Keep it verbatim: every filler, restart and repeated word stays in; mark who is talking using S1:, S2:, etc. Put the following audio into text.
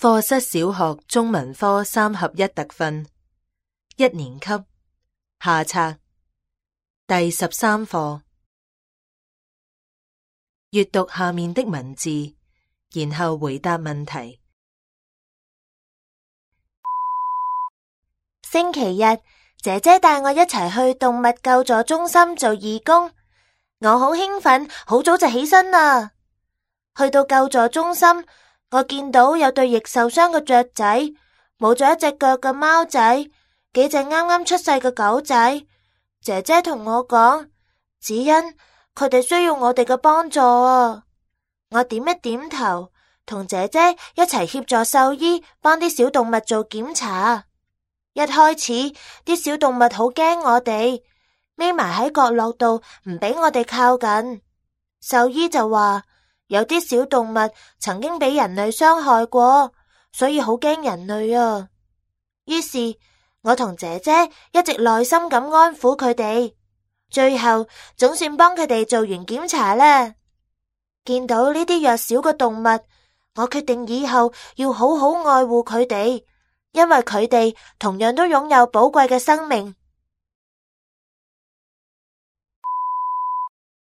S1: 課室小學中文科三合一特訓，一年級下冊第十三課。閱讀下面的文字，然後回答問題。
S2: 星期日，姐姐帶我一齊去動物救助中心做義工，我好興奮，好早就起身啦。去到救助中心，我見到有對翼受傷嘅雀仔，冇咗一隻腳嘅貓仔，幾隻啱啱出世嘅狗仔。姐姐同我講，子欣，佢哋需要我哋嘅幫助啊。我點一點頭，同姐姐一齊協助獸醫幫啲小動物做檢查。一開始啲小動物好驚我哋，匿埋喺角落度唔俾我哋靠近。獸醫就話，有啲小動物曾經俾人類傷害過，所以好驚人類啊。於是我同姐姐一直耐心咁安撫佢哋，最後總算幫佢哋做完檢查啦。見到呢啲弱小嘅動物，我決定以後要好好愛護佢哋，因為佢哋同樣都擁有寶貴嘅生命。